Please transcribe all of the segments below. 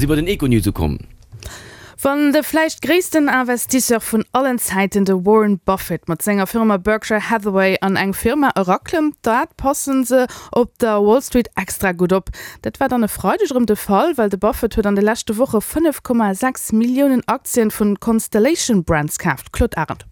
si bei den Econews ukomm. Wann de vläicht gréissten Investisseur vun allen Zäiten, de Warren Buffett, mat senger Firma Berkshire Hathaway an eng Firma eraklëmmt, dat passen se op der Wall Street extra gutt op. Dat war dann e Freideg erëm de Fall, well de Buffett huet an de leschte Woche 5,6 Milliounen Aktien vun Constellation Brands kaaft. Claude Arend.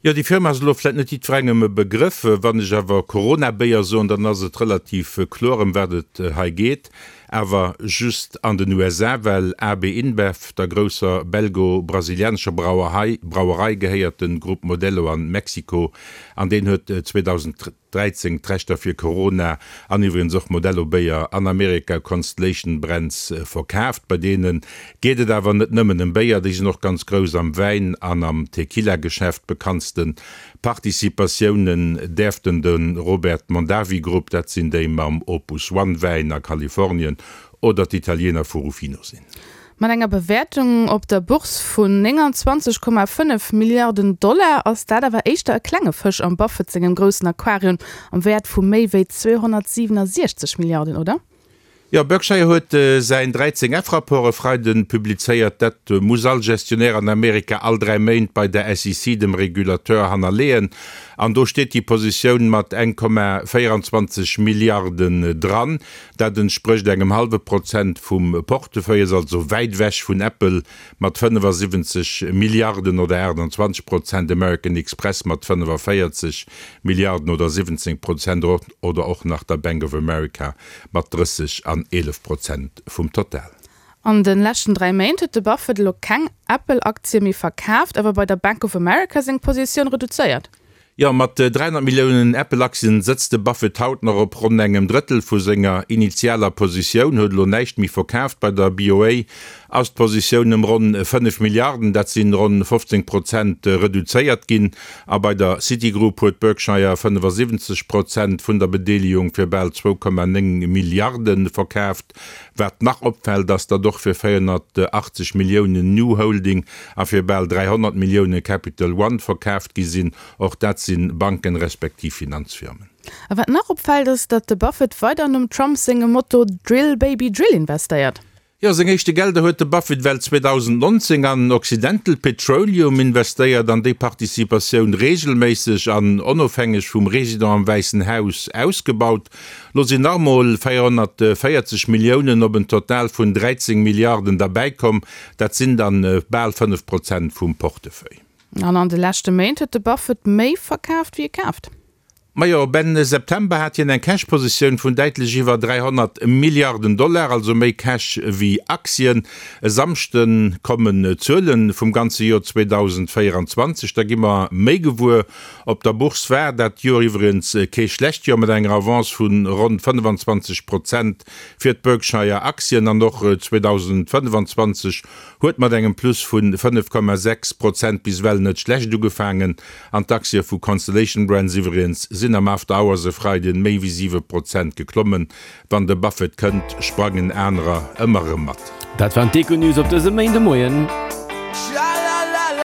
Jo, déi Firma ass elo vläit net jiddwerengem e Begrëff. Wann ech awer Corona-Béier soen, dann ass et relativ kloer, ëm wat et hei geet. Awer just an den USA, well AB InBev, der grousser belgo-brasilianescher Brauerei, Brauerei gehéiert de Grupp Modelo an Mexiko an deen huet 2013 d'Rechter fir Corona an iwwregens och Modelo Béier an Amerika Constellation Brands verkaaft. Bei deene geet et awer net nëmmen ëm Béier, déi sinn och ganz grouss am Wäin an am Tequila-Geschäft. Bekanntste Participatiounen däerften de Robert Mondavi Group, dat sinn déi mam Opus One Wäin a Kalifornien, oder d'Italiener vu Ruffino sinn. Mat enger Bewäertung op der Bourse vun 29,5 Milliarden Dollar ass dat awer éischter e klenge Fësch am Buffett sengem groussen Aquarium am Wäert vu méi wéi 267 Milliarden, oder? Jo, Berkshire huet säin 13 F-Rapport e Freiden publizéiert. Dat muss all Gestionnaire an Amerika all 3 Méint bei der SEC, dem Regulateur, hannerleeën. An do steet déi Positioun mat 1,24 Milliarden dran. Dat entsprécht engem hallwe Prozent vum Portefeuille, ass also wäit ewech vun Apple mat 75 Milliarden oder 28 Prozent, American Express mat 45 Milliarden oder 17 Prozent oder och nach der Bank of America mat 30 an 11 Prozent vum Total. An de leschten 3 Méint huet de Buffett elo keng Apple-Aktie méi verkaaft, awer bei der Bank of America seng Positioun reduzéiert. Jo, mat 300 Milliounen Apple-Aktien sëtzt de Buffett haut nach op ronn engem Drëttel vu senger initialer Positioun, huet elo näischt méi verkaaft. Bei der BOA ass d'Positioun ëm ronn 5 Milliarden, dat sinn ronn 15 Prozent, reduzéiert ginn. A bei der Citigroup huet Berkshire 75 Prozent vun der Bedeelegung fir bal 2,9 Milliarde verkaaft. Wat nach opfält, ass, datt och fir 480 Milliounen Nu Holding a fir bal 300 Millioune Capital One verkaaft gi sinn. Och dat si Banken respektiv Finanzfirmen. A wat nach opfält, ass, datt de Buffett weider nom Trump sengem Motto Drill, Baby, Drill investéiert. Jo, seng éischte Gelder huet de Buffett well 2019 an Occidental Petroleum investéiert an déi Participatioun reegelméisseg an onofhängeg vum Resident am Wäissen Haus ausgebaut. Lo sinn nach emol 440 Milliounen op en Total vun 13 Milliarden derbäikomm. Dat sinn dann bal 5 Prozent vum Portefeuille. An an de leschte Méint huet de Buffett méi verkaaft wéi e kaaft. Majo, op Enn September hat hien eng Cash-Positioun vun däitlech iwwer 300 Milliarden Dollar, also méi Cash wéi Aktien. E Samschde kommen d'Zuele vum ganze Joer 2024, da gi mer méi gewuer. Op der Bourse war dat Joer iwwregens kee schlecht Joer, mat enger Avance vu ronn 25 Prozent fir d'Berkshire Aktien an och 2025 huet mat engem Plus vu 5,6 Prozent bis ewell net schlecht ugefaangen. An d'Aktie vu Constellation Brands iwwregens sinn am After Hours e Freiden méi wéi 7 Prozent geklommen. Wann de Buffett kënnt, sprangen anerer ëmmer erëm mat. Dat waren d'Econews op dësem Méindemoien.